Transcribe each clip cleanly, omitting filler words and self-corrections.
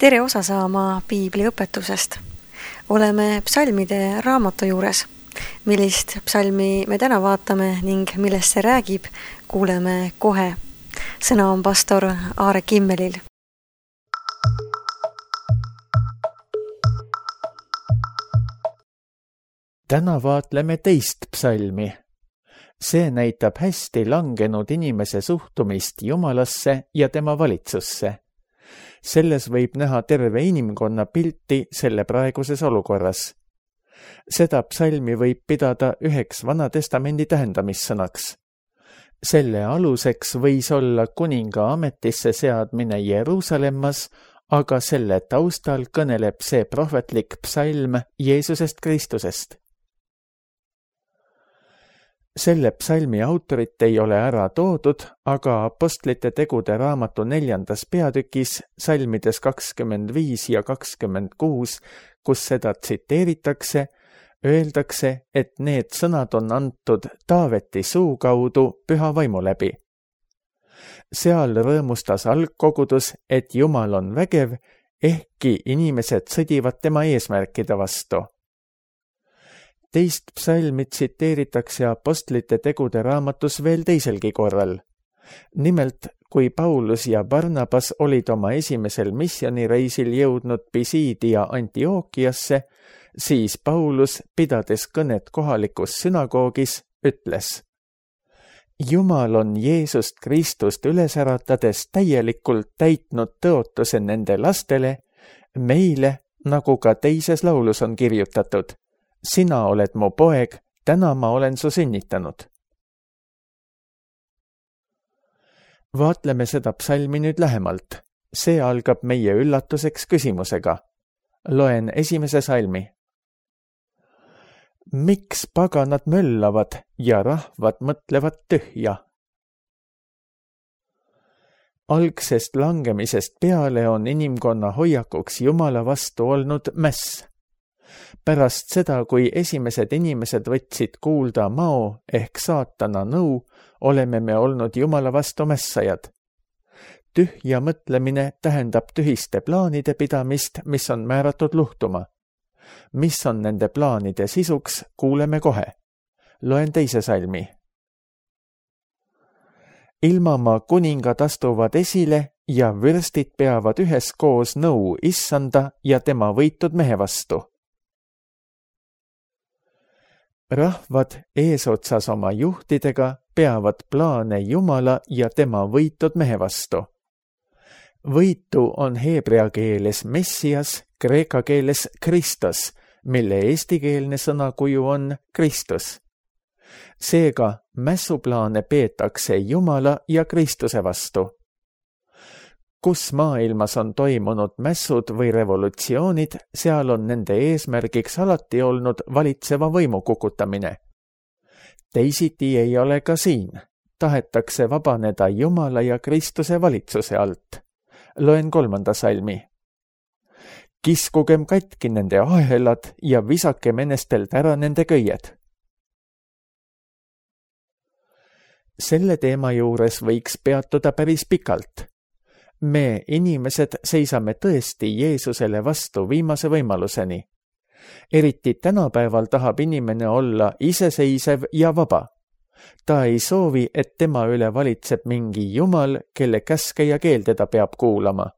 Tere osa saama piibli õpetusest. Oleme psalmide raamatu juures. Millist psalmi me täna vaatame ning millest see räägib, kuuleme kohe. Sõna on pastor Aare Kimmelil. Täna vaatleme teist psalmi. See näitab hästi langenud inimese suhtumist Jumalasse ja tema valitsusse. Selles võib näha terve inimkonna pilti selle praeguses olukorras. Seda psalmi võib pidada üheks Vana Testamendi tähendamissõnaks. Selle aluseks võis olla kuninga ametisse seadmine Jeruusalemmas, aga selle taustal kõneleb see prohvetlik psalm Jeesusest Kristusest. Selle psalmi autorit ei ole ära toodud, aga Apostlite tegude raamatu 4. peatükis, salmides 25 ja 26, kus seda tsiteeritakse, öeldakse, et need sõnad on antud Taaveti suu kaudu Püha Vaimu läbi. Seal rõõmustas algkogudus, et Jumal on vägev, ehkki inimesed sõdivad tema eesmärkide vastu. Teist psalmi tsiteeritakse Apostlite tegude raamatus veel teiselgi korral. Nimelt, kui Paulus ja Barnabas olid oma esimesel misjonireisil jõudnud Pisidia Antiookiasse, siis Paulus, pidades kõnet kohalikus sünagoogis, ütles: Jumal on Jeesust Kristust üles äratades täielikult täitnud tõotuse nende lastele, meile, nagu ka teises laulus on kirjutatud: Sina oled mu poeg, täna ma olen su sünnitanud. Vaatleme seda psalmi nüüd lähemalt. See algab meie üllatuseks küsimusega. Loen esimese salmi. Miks paganad möllavad ja rahvad mõtlevad tühja? Algsest langemisest peale on inimkonna hoiakuks Jumala vastu olnud mäss. Pärast seda, kui esimesed inimesed võtsid kuulda mao ehk saatana nõu, oleme me olnud Jumala vastu mässajad. Tühja mõtlemine tähendab tühiste plaanide pidamist, mis on määratud luhtuma. Mis on nende plaanide sisuks, kuuleme kohe. Loen teise salmi. Ilmamaa kuningad astuvad esile ja vürstid peavad üheskoos nõu Issanda ja tema võitud mehe vastu. Rahvad eesotsas oma juhtidega peavad plaane Jumala ja tema võitud mehe vastu. Võitu on heebrea keeles Messias, kreeka keeles Kristos, mille eestikeelne sõnakuju on Kristus. Seega mässuplaane peetakse Jumala ja Kristuse vastu. Kus maailmas on toimunud mässud või revolutsioonid, seal on nende eesmärgiks alati olnud valitseva võimu kukutamine. Teisiti ei ole ka siin. Tahetakse vabaneda Jumala ja Kristuse valitsuse alt. Loen 3. salmi. Kiskugem katki nende ahelad ja visake menestelt ära nende köied. Selle teema juures võiks peatuda päris pikalt. Me, inimesed, seisame tõesti Jeesusele vastu viimase võimaluseni. Eriti tänapäeval tahab inimene olla iseseisev ja vaba. Ta ei soovi, et tema üle valitseb mingi Jumal, kelle käske ja keelde ta peab kuulama.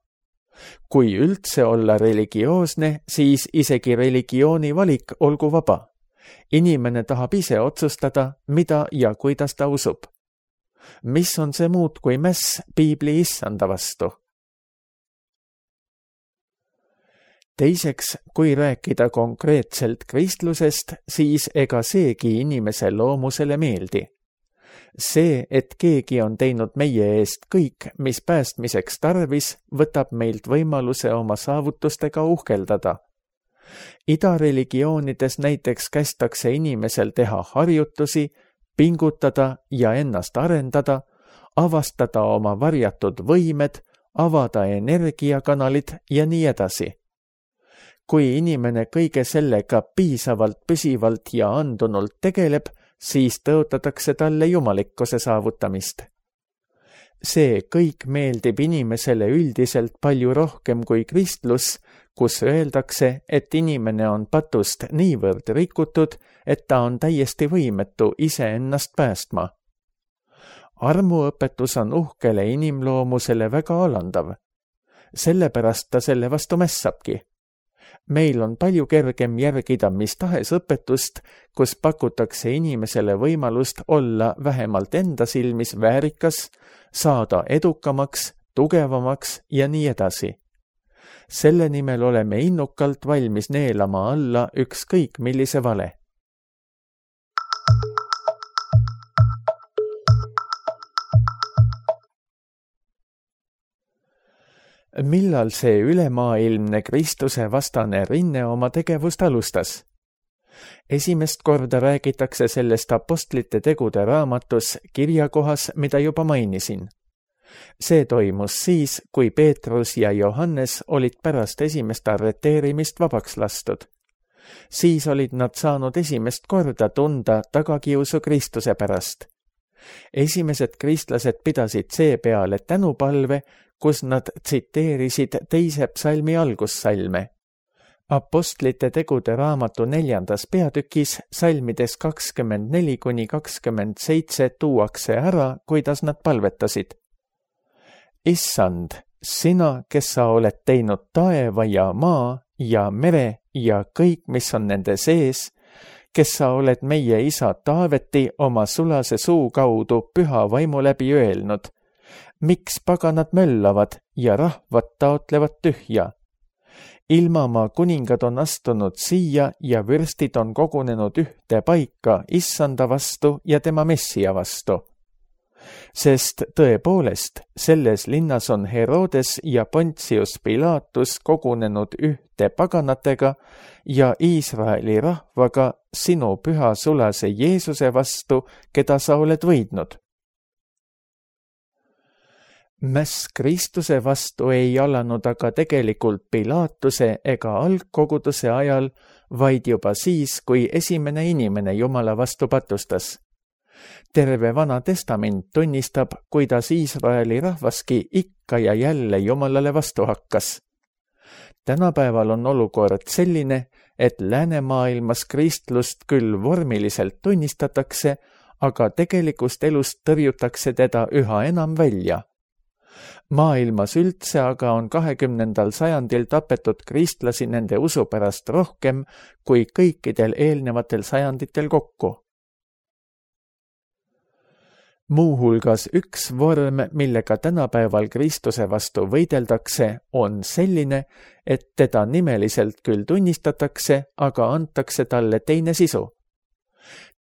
Kui üldse olla religioosne, siis isegi religiooni valik olgu vaba. Inimene tahab ise otsustada, mida ja kuidas ta usub. Mis on see muud kui mäss piibli Issanda vastu? Teiseks, kui rääkida konkreetselt kristlusest, siis ega seegi inimese loomusele meeldi. See, et keegi on teinud meie eest kõik, mis päästmiseks tarvis, võtab meilt võimaluse oma saavutustega uhkeldada. Idareligioonides näiteks kästakse inimesel teha harjutusi, pingutada ja ennast arendada, avastada oma varjatud võimed, avada energiakanalid ja nii edasi. Kui inimene kõige sellega piisavalt, püsivalt ja andunult tegeleb, siis tõotatakse talle jumalikkuse saavutamist. See kõik meeldib inimesele üldiselt palju rohkem kui kristlus, kus öeldakse, et inimene on patust niivõrd rikutud, et ta on täiesti võimetu iseennast päästma. Armuõpetus on uhkele inimloomusele väga alandav. Sellepärast ta selle vastu mässabki. Meil on palju kergem järgida mis tahes õpetust, kus pakutakse inimesele võimalust olla vähemalt enda silmis väärikas, saada edukamaks, tugevamaks ja nii edasi. Selle nimel oleme innukalt valmis neelama alla ükskõik millise vale. Millal see ülemaailmne Kristuse vastane rinne oma tegevust alustas? Esimest korda räägitakse sellest apostlite tegude raamatus kirjakohas, mida juba mainisin. See toimus siis, kui Peetrus ja Johannes olid pärast esimest arreteerimist vabaks lastud. Siis olid nad saanud esimest korda tunda tagakiusu Kristuse pärast. Esimesed kristlased pidasid seepeale tänupalve, kus nad tsiteerisid 2. psalmi algussalme. Apostlite tegude raamatu 4. peatükis salmides 24–27 tuuakse ära, kuidas nad palvetasid. Issand, sina, kes sa oled teinud taeva ja maa ja mere ja kõik, mis on nende sees, kes sa oled meie isa Taaveti oma sulase suu kaudu püha vaimu läbi öelnud, miks paganad möllavad ja rahvad taotlevad tühja? Ilmamaa kuningad on astunud siia ja vürstid on kogunenud ühte paika issanda vastu ja tema messia vastu. Sest tõepoolest, selles linnas on Herodes ja Pontius Pilatus kogunenud ühte paganatega ja Iisraeli rahvaga sinu püha sulase Jeesuse vastu, keda sa oled võidnud. Mäss Kristuse vastu ei alanud aga tegelikult Pilatuse ega algkoguduse ajal, vaid juba siis, kui esimene inimene Jumala vastu patustas. Terve Vana Testament tunnistab, kuidas Iisraeli rahvaski ikka ja jälle Jumalale vastu hakkas. Tänapäeval on olukord selline, et läänemaailmas kristlust küll vormiliselt tunnistatakse, aga tegelikust elust tõrjutakse teda üha enam välja. Maailmas üldse aga on 20. sajandil tapetud kristlasi nende usu pärast rohkem kui kõikidel eelnevatel sajanditel kokku. Muuhulgas üks vorm, millega tänapäeval Kristuse vastu võideldakse, on selline, et teda nimeliselt küll tunnistatakse, aga antakse talle teine sisu.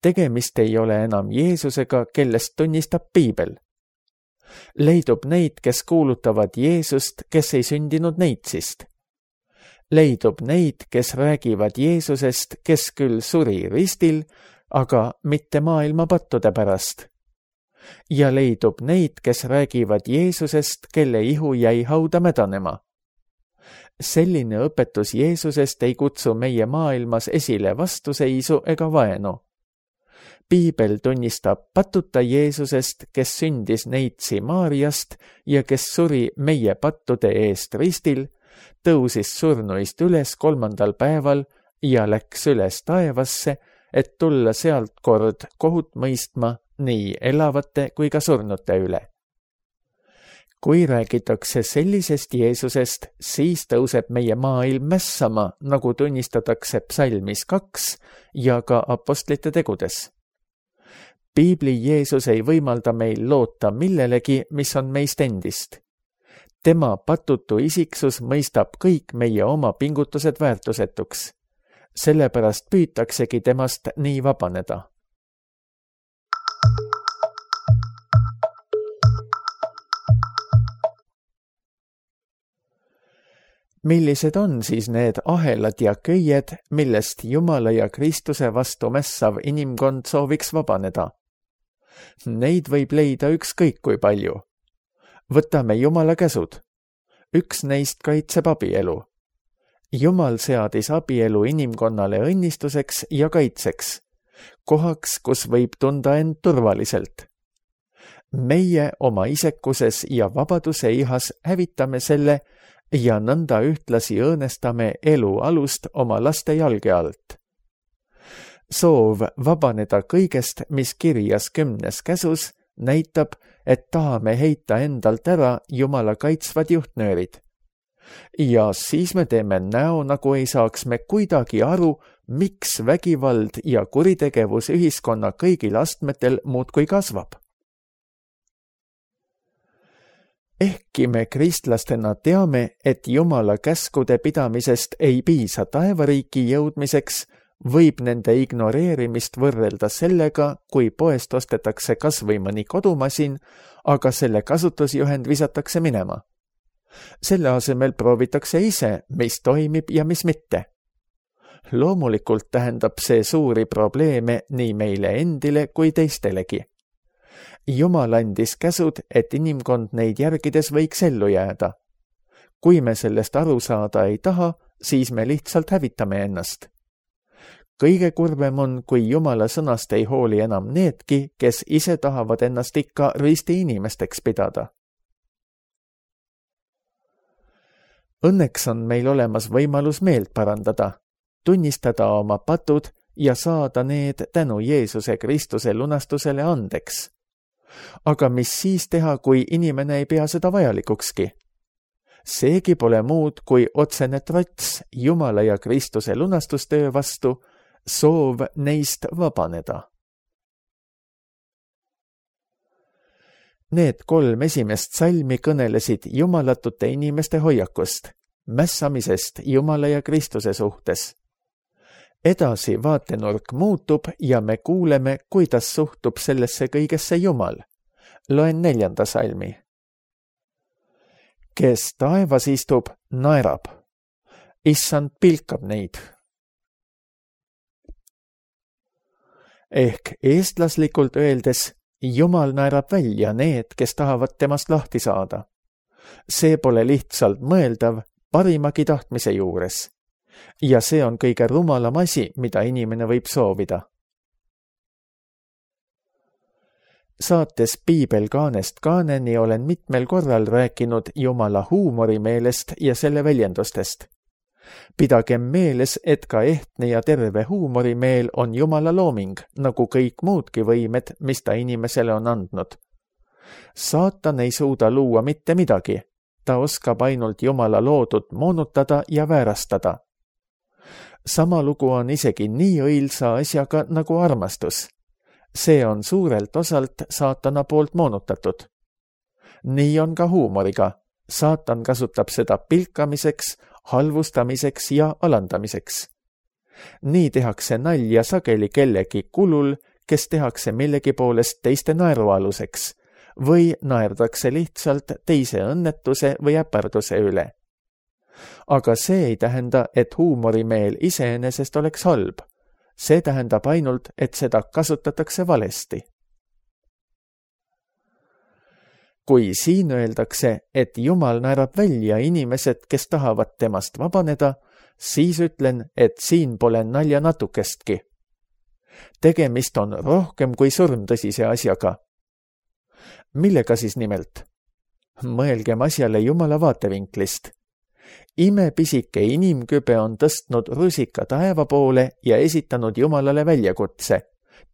Tegemist ei ole enam Jeesusega, kellest tunnistab Piibel. Leidub neid, kes kuulutavad Jeesust, kes ei sündinud neitsist. Leidub neid, kes räägivad Jeesusest, kes küll suri ristil, aga mitte maailma pattude pärast. Ja leidub neid, kes räägivad Jeesusest, kelle ihu jäi hauda mädanema. Selline õpetus Jeesusest ei kutsu meie maailmas esile vastuseisu ega vaenu. Piibel tunnistab patuta Jeesusest, kes sündis neitsi Maariast ja kes suri meie pattude eest ristil, tõusis surnuist üles 3. päeval ja läks üles taevasse, et tulla sealt kord kohut mõistma nii elavate kui ka surnute üle. Kui räägitakse sellisest Jeesusest, siis tõuseb meie maailm mässama, nagu tunnistatakse psalmis 2 ja ka apostlite tegudes. Piibli Jeesus ei võimalda meil loota millelegi, mis on meist endist. Tema patutu isiksus mõistab kõik meie oma pingutused väärtusetuks. Sellepärast püütaksegi temast nii vabaneda. Millised on siis need ahelad ja köied, millest Jumala ja Kristuse vastu mässav inimkond sooviks vabaneda? Neid võib leida ükskõik kui palju. Võtame Jumala käsud. Üks neist kaitseb abielu. Jumal seadis abielu inimkonnale õnnistuseks ja kaitseks, kohaks, kus võib tunda end turvaliselt. meie oma isekuses ja vabaduse ihas hävitame selle ja nõnda ühtlasi õõnestame elu alust oma laste jalge alt. Soov vabaneda kõigest, mis kirjas 10. käsus, näitab, et tahame heita endalt ära Jumala kaitsvad juhtnöörid. Ja siis me teeme näo, nagu ei saaks me kuidagi aru, miks vägivald ja kuritegevus ühiskonna kõigil astmetel muudkui kasvab. Ehkki me kristlastena teame, et Jumala käskude pidamisest ei piisa taevariiki jõudmiseks, võib nende ignoreerimist võrrelda sellega, kui poest ostetakse kas või mõni kodumasin, aga selle kasutusjuhend visatakse minema. Selle asemel proovitakse ise, mis toimib ja mis mitte. Loomulikult tähendab see suuri probleeme nii meile endile kui teistelegi. Jumal andis käsud, et inimkond neid järgides võiks ellu jääda. Kui me sellest aru saada ei taha, siis me lihtsalt hävitame ennast. Kõige kurvem on, kui Jumala sõnast ei hooli enam needki, kes ise tahavad ennast ikka risti inimesteks pidada. Õnneks on meil olemas võimalus meelt parandada, tunnistada oma patud ja saada need tänu Jeesuse Kristuse lunastusele andeks. Aga mis siis teha, kui inimene ei pea seda vajalikukski? Seegi pole muud kui otsene trots Jumala ja Kristuse lunastustöö vastu, soov neist vabaneda. Need 3 esimest salmi kõnelesid jumalatute inimeste hoiakust, mässamisest Jumala ja Kristuse suhtes. Edasi vaatenurk muutub ja me kuuleme, kuidas suhtub sellesse kõigesse Jumal. Loen 4. salmi. Kes taevas istub, naerab. Issand pilkab neid. Ehk eestlaslikult öeldes, Jumal naerab välja need, kes tahavad temast lahti saada. See pole lihtsalt mõeldav parimagi tahtmise juures. Ja see on kõige rumalam asi, mida inimene võib soovida. Saates Piibel kaanest kaaneni olen mitmel korral rääkinud Jumala huumorimeelest ja selle väljendustest. Pidagem meeles, et ka ehtne ja terve huumorimeel on Jumala looming, nagu kõik muudki võimed, mis ta inimesele on andnud. Saatan ei suuda luua mitte midagi. Ta oskab ainult Jumala loodut moonutada ja väärastada. Sama lugu on isegi nii õilsa asjaga nagu armastus. See on suurelt osalt saatana poolt moonutatud. Nii on ka huumoriga. Saatan kasutab seda pilkamiseks, halvustamiseks ja alandamiseks. Nii tehakse nalja sageli kellegi kulul, kes tehakse millegi poolest teiste naerualuseks või naerdakse lihtsalt teise õnnetuse või äparduse üle. Aga see ei tähenda, et huumorimeel iseenesest oleks halb. See tähendab ainult, et seda kasutatakse valesti. Kui siin öeldakse, et Jumal naerab välja inimesed, kes tahavad temast vabaneda, siis ütlen, et siin pole nalja natukestki. Tegemist on rohkem kui surmtõsise asjaga. Millega siis nimelt? Mõelgem asjale Jumala vaatevinklist. Imepisike inimkübe on tõstnud rusika taeva poole ja esitanud Jumalale väljakutse.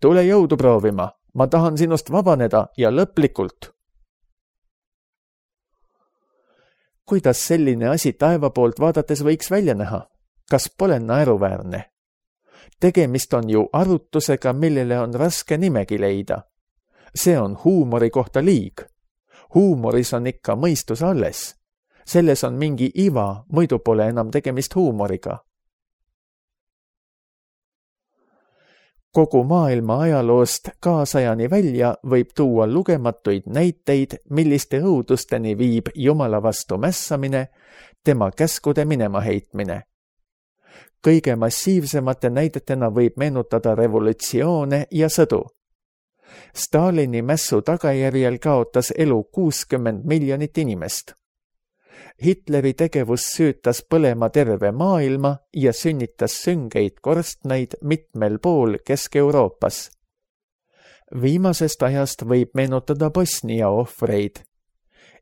Tule jõudu proovima, ma tahan sinust vabaneda ja lõplikult. Kuidas selline asi taeva poolt vaadates võiks välja näha? Kas pole naeruväärne? Tegemist on ju arutusega, millele on raske nimegi leida. See on huumori kohta liig. Huumoris on ikka mõistus alles. Selles on mingi iva, muidu pole enam tegemist huumoriga. Kogu maailma ajaloost kaasajani välja võib tuua lugematuid näiteid, milliste õudusteni viib Jumala vastu mässamine, tema käskude minema heitmine. Kõige massiivsemate näidetena võib meenutada revolutsioone ja sõdu. Stalini mässu tagajärjel kaotas elu 60 miljonit inimest. Hitleri tegevus süütas põlema terve maailma ja sünnitas süngeid korstnaid mitmel pool Kesk-Euroopas. Viimasest ajast võib meenutada Bosnia ohvreid.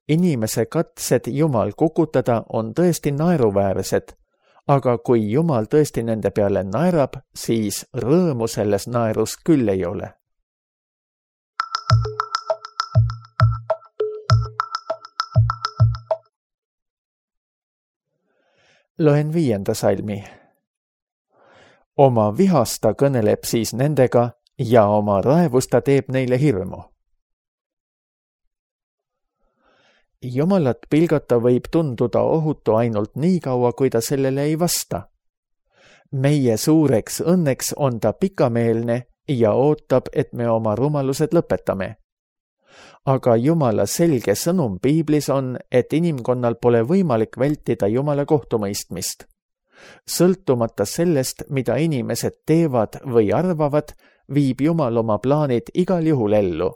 Inimese katsed Jumal kukutada on tõesti naeruväärsed, aga kui Jumal tõesti nende peale naerab, siis rõõmu selles naerus küll ei ole. Loen 5. salmi. Oma vihast ta kõneleb siis nendega ja oma raevust ta teeb neile hirmu. Jumalat pilgata võib tunduda ohutu ainult nii kaua, kui ta sellele ei vasta. Meie suureks õnneks on ta pikameelne ja ootab, et me oma rumalused lõpetame. Aga Jumala selge sõnum Piiblis on, et inimkonnal pole võimalik vältida Jumala kohtumõistmist. Sõltumata sellest, mida inimesed teevad või arvavad, viib Jumal oma plaanid igal juhul ellu.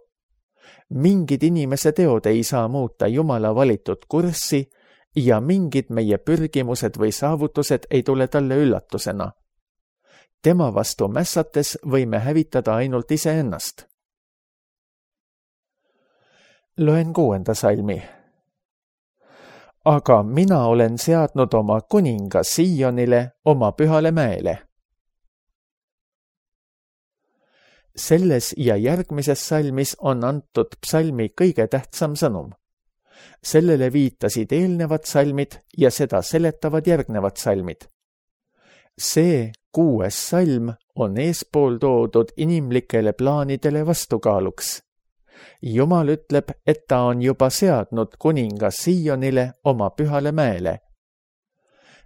Mingid inimese teod ei saa muuta Jumala valitud kurssi ja mingid meie pürgimused või saavutused ei tule talle üllatusena. Tema vastu mässates võime hävitada ainult iseennast. Loen 6. salmi. Aga mina olen seadnud oma kuninga Siionile, oma pühale mäele. Selles ja järgmises salmis on antud psalmi kõige tähtsam sõnum. Sellele viitasid eelnevad salmid ja seda seletavad järgnevad salmid. See 6. salm on eespool toodud inimlikele plaanidele vastukaaluks. Jumal ütleb, et ta on juba seadnud kuninga Siionile, oma pühale mäele.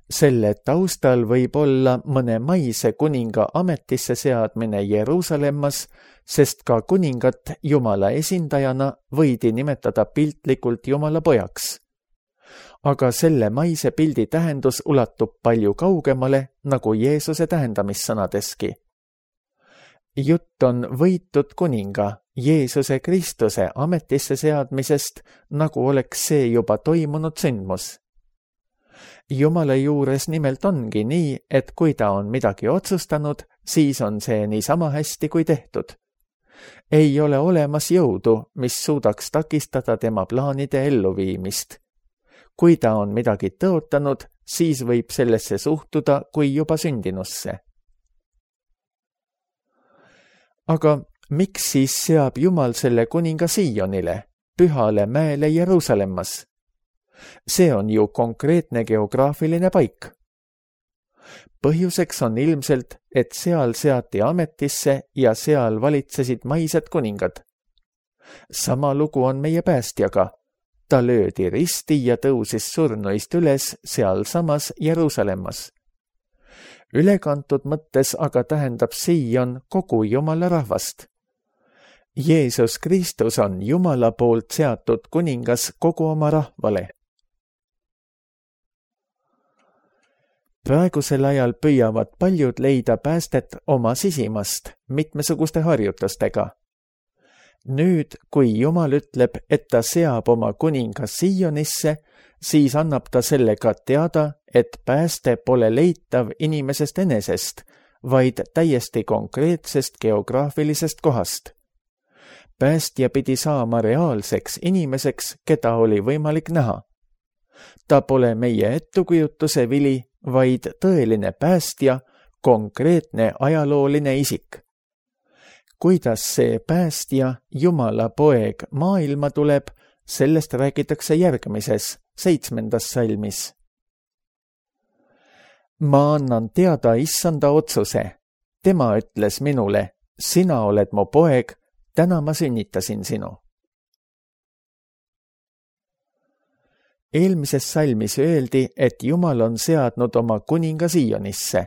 Selle taustal võib olla mõne maise kuninga ametisse seadmine Jeruusalemmas, sest ka kuningat Jumala esindajana võidi nimetada piltlikult Jumala pojaks. Aga selle maise pildi tähendus ulatub palju kaugemale, nagu Jeesuse tähendamissõnadeski. Jutt on võitud kuninga, Jeesuse Kristuse ametisse seadmisest, nagu oleks see juba toimunud sündmus. Jumala juures nimelt ongi nii, et kui ta on midagi otsustanud, siis on see niisama hästi kui tehtud. Ei ole olemas jõudu, mis suudaks takistada tema plaanide elluviimist. Kui ta on midagi tõotanud, siis võib sellesse suhtuda kui juba sündinusse. Aga miks siis seab Jumal selle kuninga Siionile, pühale mäele Jeruusalemmas? See on ju konkreetne geograafiline paik. Põhjuseks on ilmselt, et seal seati ametisse ja seal valitsesid maised kuningad. Sama lugu on meie päästjaga. Ta löödi risti ja tõusis surnuist üles sealsamas Jeruusalemmas. Ülekantud mõttes aga tähendab Sion kogu Jumala rahvast. Jeesus Kristus on Jumala poolt seatud kuningas kogu oma rahvale. Praegusel ajal püüavad paljud leida päästet oma sisimast mitmesuguste harjutustega. Nüüd, kui Jumal ütleb, et ta seab oma kuninga Sionisse, siis annab ta sellega teada, et pääste pole leitav inimesest enesest, vaid täiesti konkreetsest geograafilisest kohast. Päästja pidi saama reaalseks inimeseks, keda oli võimalik näha. Ta pole meie ettekujutuse vili, vaid tõeline päästja, konkreetne ajalooline isik. Kuidas see päästja, Jumala poeg, maailma tuleb, sellest räägitakse järgmises, 7. salmis. Ma annan teada issanda otsuse. Tema ütles minule, sina oled mu poeg, täna ma sünnitasin sinu. Eelmises salmis öeldi, et Jumal on seadnud oma kuninga Sionisse.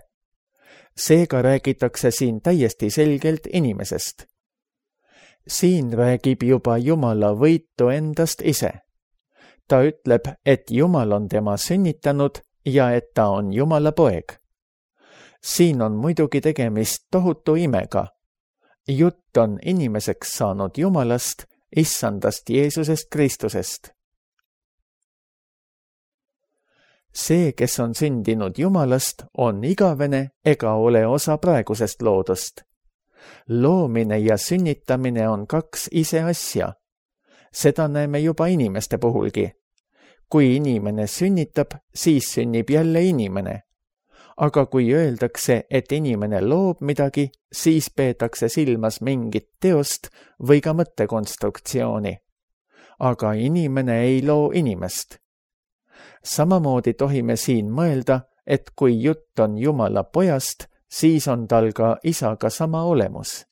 Seega räägitakse siin täiesti selgelt inimesest. Siin räägib juba Jumala võitu endast ise. Ta ütleb, et Jumal on tema sünnitanud ja et ta on Jumala poeg. Siin on muidugi tegemist tohutu imega. Jutt on inimeseks saanud Jumalast, issandast Jeesusest Kristusest. See, kes on sündinud Jumalast, on igavene ega ole osa praegusest loodust. Loomine ja sünnitamine on kaks ise asja. Seda näeme juba inimeste puhulgi. Kui inimene sünnitab, siis sünnib jälle inimene. Aga kui öeldakse, et inimene loob midagi, siis peetakse silmas mingit teost või ka mõttekonstruktsiooni. Aga inimene ei loo inimest. Samamoodi tohime siin mõelda, et kui jutt on Jumala pojast, siis on tal ka isaga sama olemus.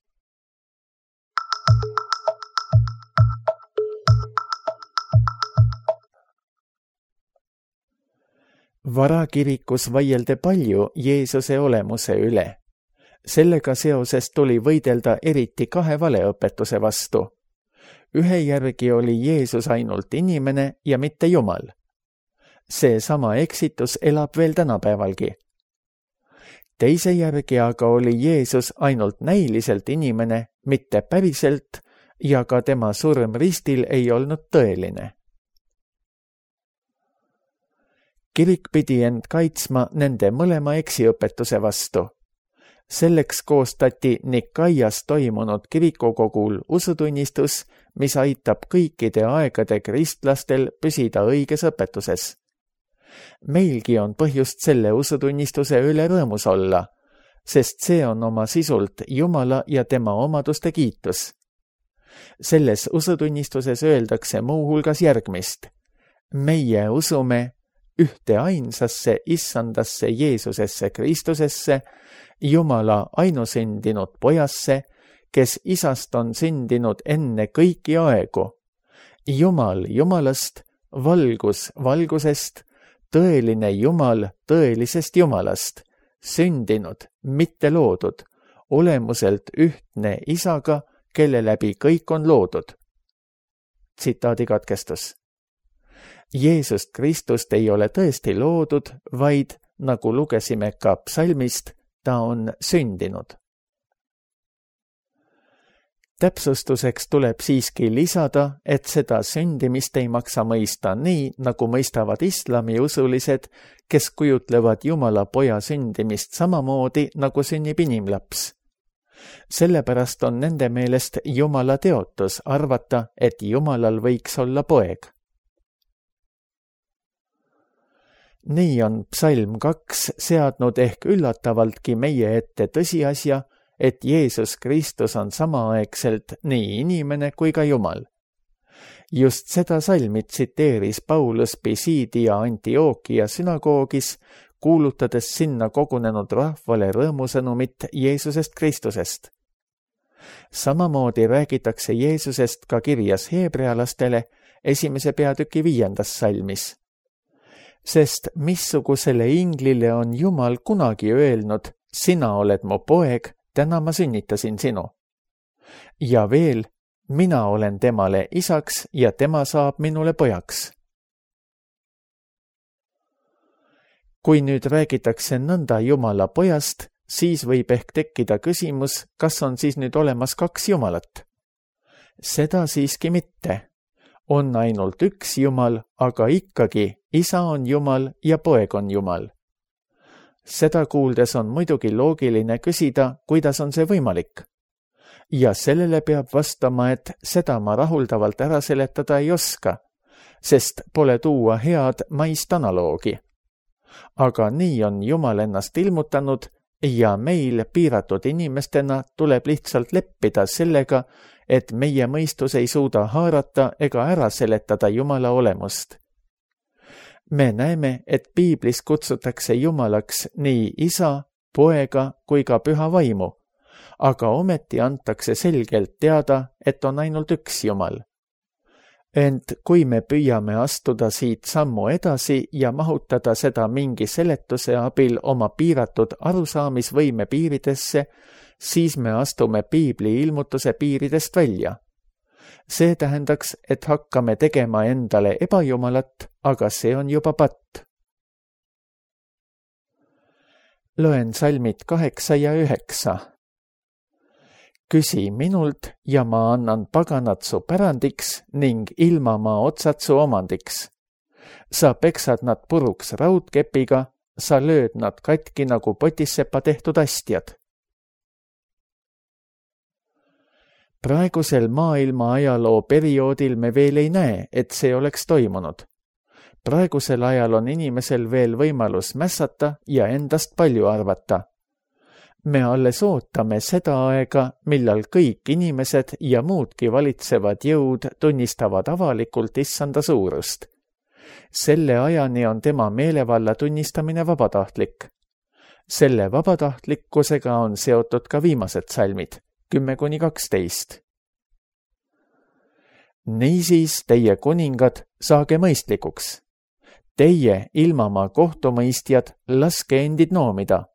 Varakirikus vaieldi palju Jeesuse olemuse üle. Sellega seoses tuli võidelda eriti kahe valeõpetuse vastu. Ühe järgi oli Jeesus ainult inimene ja mitte Jumal. See sama eksitus elab veel tänapäevalgi. Teise järgi aga oli Jeesus ainult näiliselt inimene, mitte päriselt, ja ka tema surm ristil ei olnud tõeline. Kirik pidi end kaitsma nende mõlema eksiõpetuse vastu. Selleks koostati Nikaias toimunud kirikukogul usutunnistus, mis aitab kõikide aegade kristlastel püsida õiges õpetuses. Meilgi on põhjust selle usutunnistuse üle rõõmus olla, sest see on oma sisult Jumala ja tema omaduste kiitus. Selles usutunnistuses öeldakse muuhulgas järgmist. Meie usume ühte ainsasse issandasse Jeesusesse Kristusesse, Jumala ainusündinud pojasse, kes isast on sündinud enne kõiki aegu. Jumal Jumalast, valgus valgusest, tõeline Jumal tõelisest Jumalast, sündinud, mitte loodud, olemuselt ühtne isaga, kelle läbi kõik on loodud. Tsitaadi katkestus. Jeesust Kristust ei ole tõesti loodud, vaid, nagu lugesime ka psalmist, ta on sündinud. Täpsustuseks tuleb siiski lisada, et seda sündimist ei maksa mõista nii, nagu mõistavad islamiusulised, kes kujutlevad Jumala poja sündimist samamoodi, nagu sünnib inimlaps. Sellepärast on nende meelest Jumala teotus arvata, et Jumalal võiks olla poeg. Nii on psalm 2 seadnud ehk üllatavaltki meie ette tõsiasja, et Jeesus Kristus on samaaegselt nii inimene kui ka Jumal. Just seda salmi tsiteeris Paulus Pisidia Antiokia sünagoogis, kuulutades sinna kogunenud rahvale rõõmusõnumit Jeesusest Kristusest. Samamoodi räägitakse Jeesusest ka kirjas heebrealastele 1. peatüki 5. salmis. Sest missugusele inglile on Jumal kunagi öelnud, sina oled mu poeg, täna ma sünnitasin sinu. Ja veel, mina olen temale isaks ja tema saab minule pojaks. Kui nüüd räägitakse nõnda Jumala pojast, siis võib ehk tekkida küsimus, kas on siis nüüd olemas kaks Jumalat? Seda siiski mitte. On ainult üks Jumal, aga ikkagi isa on Jumal ja poeg on Jumal. Seda kuuldes on muidugi loogiline küsida, kuidas on see võimalik. Ja sellele peab vastama, et seda ma rahuldavalt ära seletada ei oska, sest pole tuua head maist analoogi. Aga nii on Jumal ennast ilmutanud ja meil piiratud inimestena tuleb lihtsalt leppida sellega, et meie mõistus ei suuda haarata ega ära seletada Jumala olemust. Me näeme, et piiblis kutsutakse Jumalaks nii isa, poega kui ka püha vaimu, aga ometi antakse selgelt teada, et on ainult üks Jumal. Ent kui me püüame astuda siit sammu edasi ja mahutada seda mingi seletuse abil oma piiratud arusaamisvõime piiridesse, siis me astume piibli ilmutuse piiridest välja. See tähendaks, et hakkame tegema endale ebajumalat, aga see on juba patt. Loen salmid 8 ja 9. Küsi minult ja ma annan paganad su pärandiks ning ilmamaa otsad su omandiks. Sa peksad nad puruks raudkepiga, sa lööd nad katki nagu potissepa tehtud astjad. Praegusel maailma ajaloo perioodil me veel ei näe, et see oleks toimunud. Praegusel ajal on inimesel veel võimalus mässata ja endast palju arvata. Me alles ootame seda aega, millal kõik inimesed ja muudki valitsevad jõud tunnistavad avalikult issanda suurust. Selle ajani on tema meelevalla tunnistamine vabatahtlik. Selle vabatahtlikkusega on seotud ka viimased salmid, 10-12. Niisiis, teie kuningad, saage mõistlikuks. Teie, ilmamaa kohtumõistjad, laske endid noomida.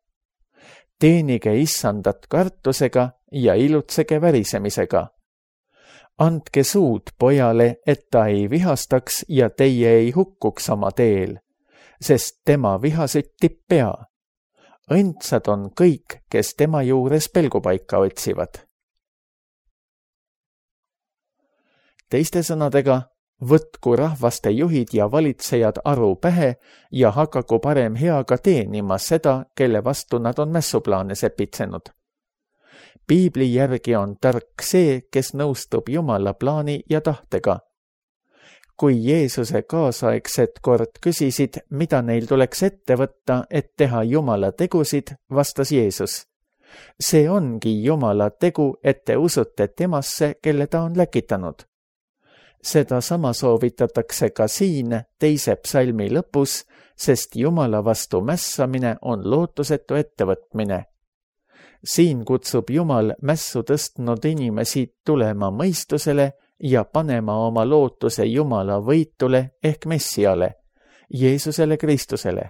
Teenige issandat kartusega ja ilutsege värisemisega. Andke suud pojale, et ta ei vihastaks ja teie ei hukkuks oma teel, sest tema viha süttib pea. Õndsad on kõik, kes tema juures pelgupaika otsivad. Teiste sõnadega, võtku rahvaste juhid ja valitsejad aru pähe ja hakaku parem heaga teenima seda, kelle vastu nad on mässuplaane sepitsenud. Piibli järgi on tark see, kes nõustub Jumala plaani ja tahtega. Kui Jeesuse kaasaegsed kord küsisid, mida neil tuleks ette võtta, et teha Jumala tegusid, vastas Jeesus. See ongi Jumala tegu, et te usute temasse, kelle ta on läkitanud. Seda sama soovitatakse ka siin 2. psalmi lõpus, sest Jumala vastu mässamine on lootusetu ettevõtmine. Siin kutsub Jumal mässu tõstnud inimesi tulema mõistusele ja panema oma lootuse Jumala võitule ehk Messiale, Jeesusele Kristusele.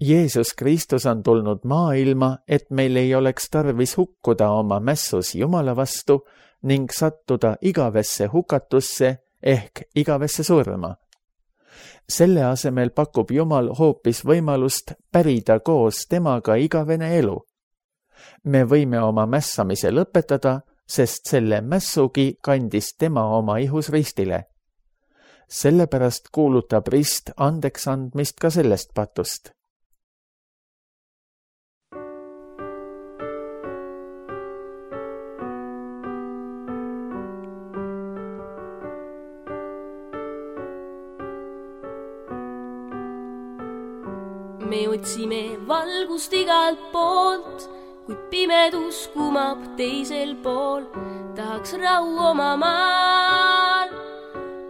Jeesus Kristus on tulnud maailma, et meil ei oleks tarvis hukkuda oma mässus Jumala vastu ning sattuda igavesse hukatusse ehk igavesse surma. Selle asemel pakub Jumal hoopis võimalust pärida koos temaga igavene elu. Me võime oma mässamise lõpetada, sest selle mässugi kandis tema oma ihus ristile. Sellepärast kuulutab rist andeks andmist ka sellest patust. Me otsime valgust igalt poolt, kuid pimedus kumab teisel pool. Tahaks rahu oma maal,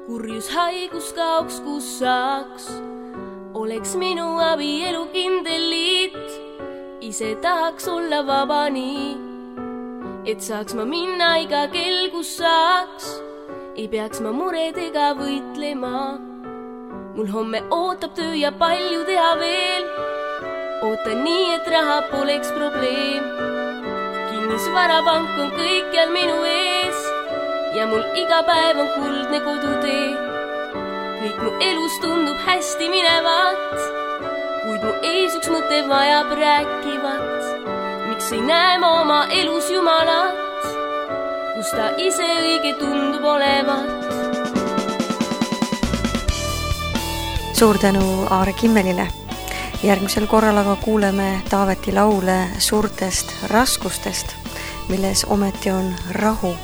kurjus haigus kaoks, kus saaks. Oleks minu abielu kindel liit, ise tahaks olla vaba nii, et saaks ma minna iga kell, kus saaks. Ei peaks ma muredega võitlema. Mul homme ootab töö ja palju teha veel. Ootan nii, et raha poleks probleem. Kinnisvarapank on kõikjal minu ees ja mul iga päev on kuldne kodutee. Kõik mu elus tundub hästi minevat, kuid mu ees üks mõte vajab rääkivat. Miks ei näe ma oma elus Jumalat, kus ta ise õige tundub olevat? Suur tänu Aare Kimmelile. Järgmisel korral aga kuuleme Taaveti laule suurtest raskustest, milles ometi on rahu.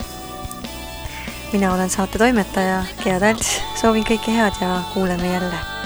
Mina olen saate toimetaja Gea Talts, soovin kõike head ja kuuleme jälle.